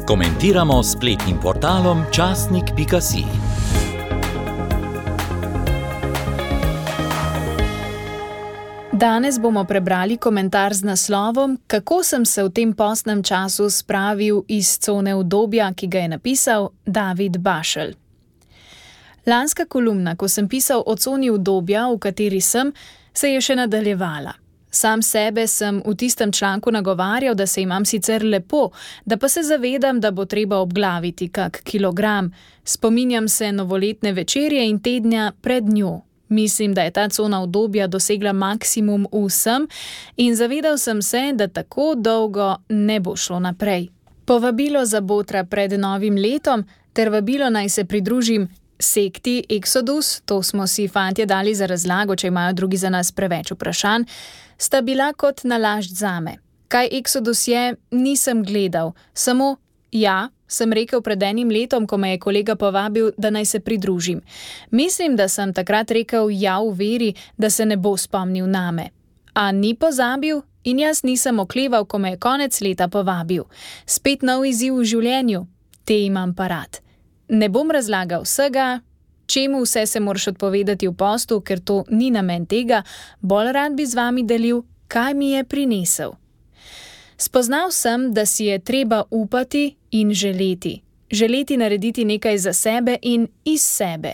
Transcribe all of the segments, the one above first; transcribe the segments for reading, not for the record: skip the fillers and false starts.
Komentiramo s spletnim portalom časnik.si. Danes bomo prebrali komentar z naslovom Kako sem se v tem postnem času spravil iz cone udobja, ki ga je napisal David Bašelj. Lanska kolumna, ko sem pisal o coni udobja, v kateri sem, se je še nadaljevala. Sam sebe sem v tistem članku nagovarjal, da se imam sicer lepo, da pa se zavedam, da bo treba obglaviti kak kilogram. Spominjam se novoletne večerje in tednja pred njo. Mislim, da je ta cona udobja dosegla maksimum vsem in zavedal sem se, da tako dolgo ne bo šlo naprej. Povabilo za botra pred novim letom ter vabilo naj se pridružim sekti Exodus, to smo si fantje dali za razlago, če imajo drugi za nas preveč vprašanj, sta bila kot nalašč zame. Kaj Exodus je, nisem gledal, samo ja, sem rekel pred enim letom, ko me je kolega povabil, da naj se pridružim. Mislim, da sem takrat rekel ja v veri, da se ne bo spomnil name. A ni pozabil in jaz nisem okleval, ko me je konec leta povabil. Spet nov izziv v življenju, te imam pa rad. Ne bom razlagal vsega, čemu vse se moraš odpovedati v postu, ker to ni namen tega, bolj rad bi z vami delil, kaj mi je prinesel. Spoznal sem, da si je treba upati in želeti. Želeti narediti nekaj za sebe in iz sebe.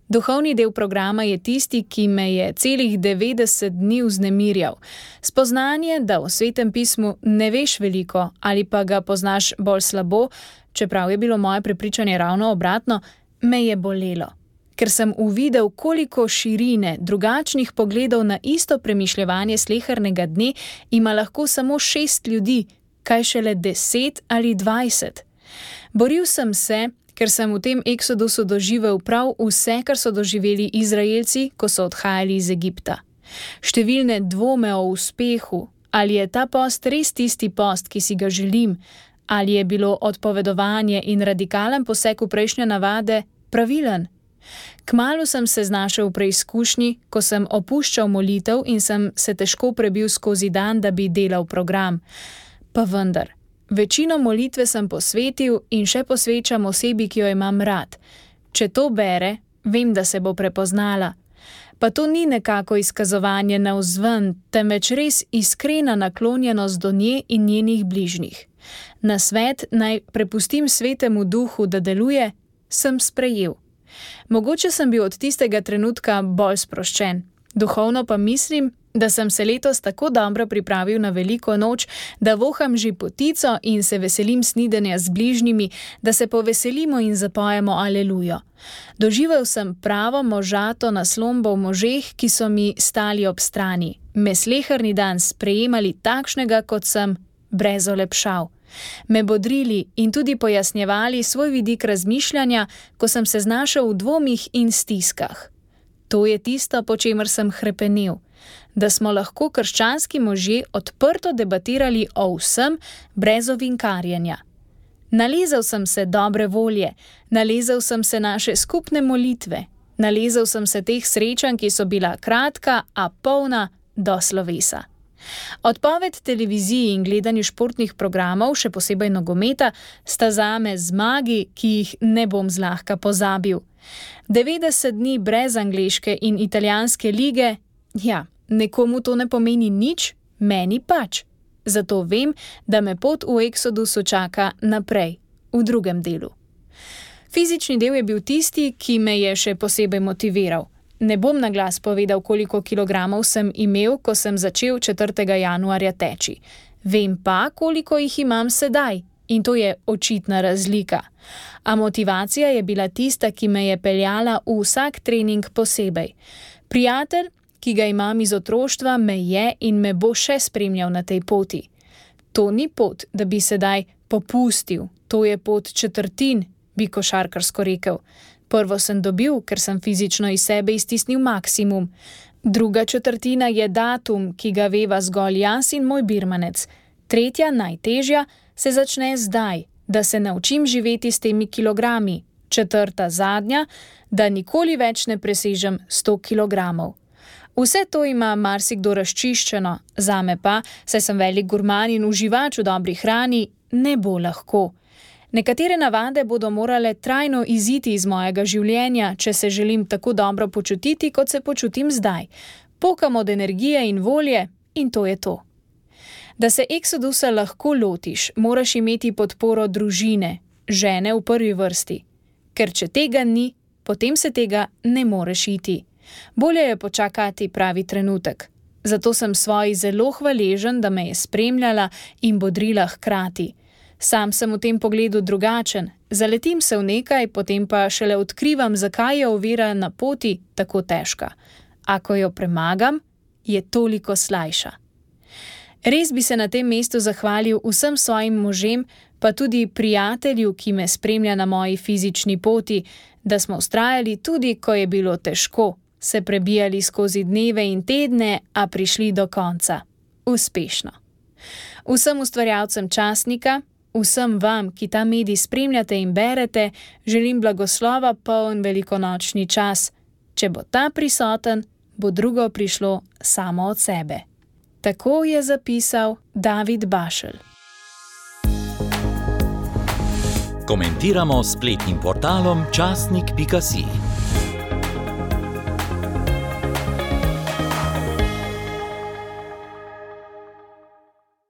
Duhovni del programa je tisti, ki me je celih 90 dni vznemirjal. Spoznanje, da v Svetem pismu ne veš veliko ali pa ga poznaš bolj slabo, čeprav je bilo moje prepričanje ravno obratno, me je bolelo. Ker sem uvidel, koliko širine, drugačnih pogledov na isto premišljevanje slehernega dne ima lahko samo 6 ljudi, kaj šele 10 ali 20. Boril sem se, ker sem v tem eksodusu doživel prav vse, kar so doživeli Izraelci, ko so odhajali iz Egipta. Številne dvome o uspehu, ali je ta post res tisti post, ki si ga želim, ali je bilo odpovedovanje in radikalen poseg v prejšnje navade pravilen. Kmalu sem se znašel v preizkušnji, ko sem opuščal molitev in sem se težko prebil skozi dan, da bi delal program. Pa vendar, večino molitve sem posvetil in še posvečam osebi, ki jo imam rad. Če to bere, vem, da se bo prepoznala. Pa to ni nekako izkazovanje navzven, temveč res iskrena naklonjenost do nje in njenih bližnjih. Nasvet naj prepustim Svetemu Duhu, da deluje, sem sprejel. Mogoče sem bil od tistega trenutka bolj sproščen. Duhovno pa mislim, da sem se letos tako dobro pripravil na veliko noč, da voham že potico in se veselim snidenja z bližnjimi, da se poveselimo in zapojemo alelujo. Doživel sem pravo možato naslombo v možeh, ki so mi stali ob strani. Me sleherni dan sprejemali takšnega, kot sem, brez olepšav. Me bodrili in tudi pojasnjevali svoj vidik razmišljanja, ko sem se znašel v dvomih in stiskah. To je tisto, po čemer sem hrepenel, da smo lahko krščanski možje odprto debatirali o vsem brez ovinkarjenja. Nalezel sem se dobre volje, nalezel sem se naše skupne molitve, nalezel sem se teh srečanj, ki so bila kratka, a polna do slovesa. Odpoved televiziji in gledanju športnih programov, še posebej nogometa, sta zame zmagi, ki jih ne bom zlahka pozabil. 90 dni brez angleške in italijanske lige, ja, nekomu to ne pomeni nič, meni pač. Zato vem, da me pot v Exodusu čaka naprej, v drugem delu. Fizični del je bil tisti, ki me je še posebej motiviral. Ne bom na glas povedal, koliko kilogramov sem imel, ko sem začel 4. januarja teči. Vem pa, koliko jih imam sedaj in to je očitna razlika. A motivacija je bila tista, ki me je peljala v vsak trening posebej. Prijatelj, ki ga imam iz otroštva, me je in me bo še spremljal na tej poti. To ni pot, da bi sedaj popustil, to je pot četrtin, bi košarkarsko rekel. Prvo sem dobil, ker sem fizično iz sebe iztisnil maksimum. Druga četrtina je datum, ki ga veva zgolj jaz in moj birmanec. Tretja, najtežja, se začne zdaj, da se naučim živeti s temi kilogrami. Četrta, zadnja, da nikoli več ne presežem 100 kilogramov. Vse to ima marsikdo razčiščeno, zame pa, saj sem velik gurman in uživač v dobri hrani, ne bo lahko. Nekatere navade bodo morale trajno iziti iz mojega življenja, če se želim tako dobro počutiti, kot se počutim zdaj. Pokam od energije in volje in to je to. Da se eksodusa lahko lotiš, moraš imeti podporo družine, žene v prvi vrsti. Ker če tega ni, potem se tega ne moreš iti. Bolje je počakati pravi trenutek. Zato sem svoji zelo hvaležen, da me je spremljala in bodrila hkrati. Sam sem v tem pogledu drugačen, zaletim se v nekaj, potem pa šele odkrivam, zakaj je ovira na poti tako težka. A ko jo premagam, je toliko slajša. Res bi se na tem mestu zahvalil vsem svojim možem, pa tudi prijatelju, ki me spremlja na moji fizični poti, da smo vztrajali tudi, ko je bilo težko, se prebijali skozi dneve in tedne, a prišli do konca. Uspešno. Vsem ustvarjalcem časnika, vsem vam, ki ta medij spremljate in berete, želim blagoslova poln velikonočni čas. Če bo ta prisoten, bo drugo prišlo samo od sebe. Tako je zapisal David Bašelj. Komentiramo s spletnim portalom časnik.si.